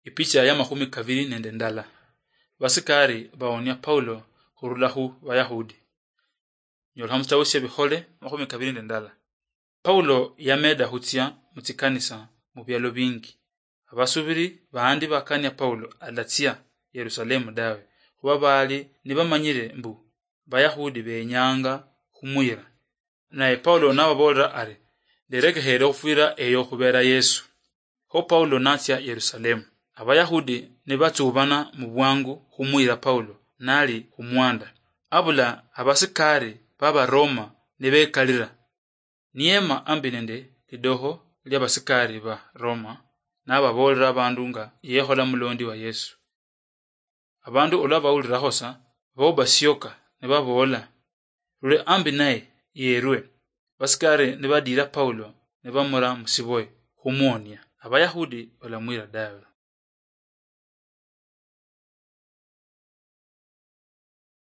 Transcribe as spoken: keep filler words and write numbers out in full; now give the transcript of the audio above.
Ipicha ya makhumi kabili nende ndala. Basikari baonia Paulo khurula khu Bayahudi. Nyolekha musitabu sya Bikhole makhumi kabili nende ndala. Paulo yameda khutsia mu tsikanisa mu bialo bingi. Abasubiri baandi bakania Paulo alatsia Yerusalemu dawe, khuba baali nibamanyire mbu Bayahudi benyanga khumuyira. Naye Paulo nababoolera ari, "Nderekekheere khufwira eyo khubera Yesu." Kho Paulo natsia Yerusalemu. Abayahudi nibatsubana mu bwangu khumuyira Paulo nali khumwanda. Abula abasikari b'Abaroma nibekalira. Niyema ambi nende lidokho ly'abasikari ba Roma, nababoolera abandu nga yekhola mulondi wa Yesu. Abandu olwa bawulirakho sa, boba sioka nibaboola, "Rule ambi naye yerwe." Basikari nibadiira Paulo nibamura musiboye khumuonia. Abayahudi balamwira dawe.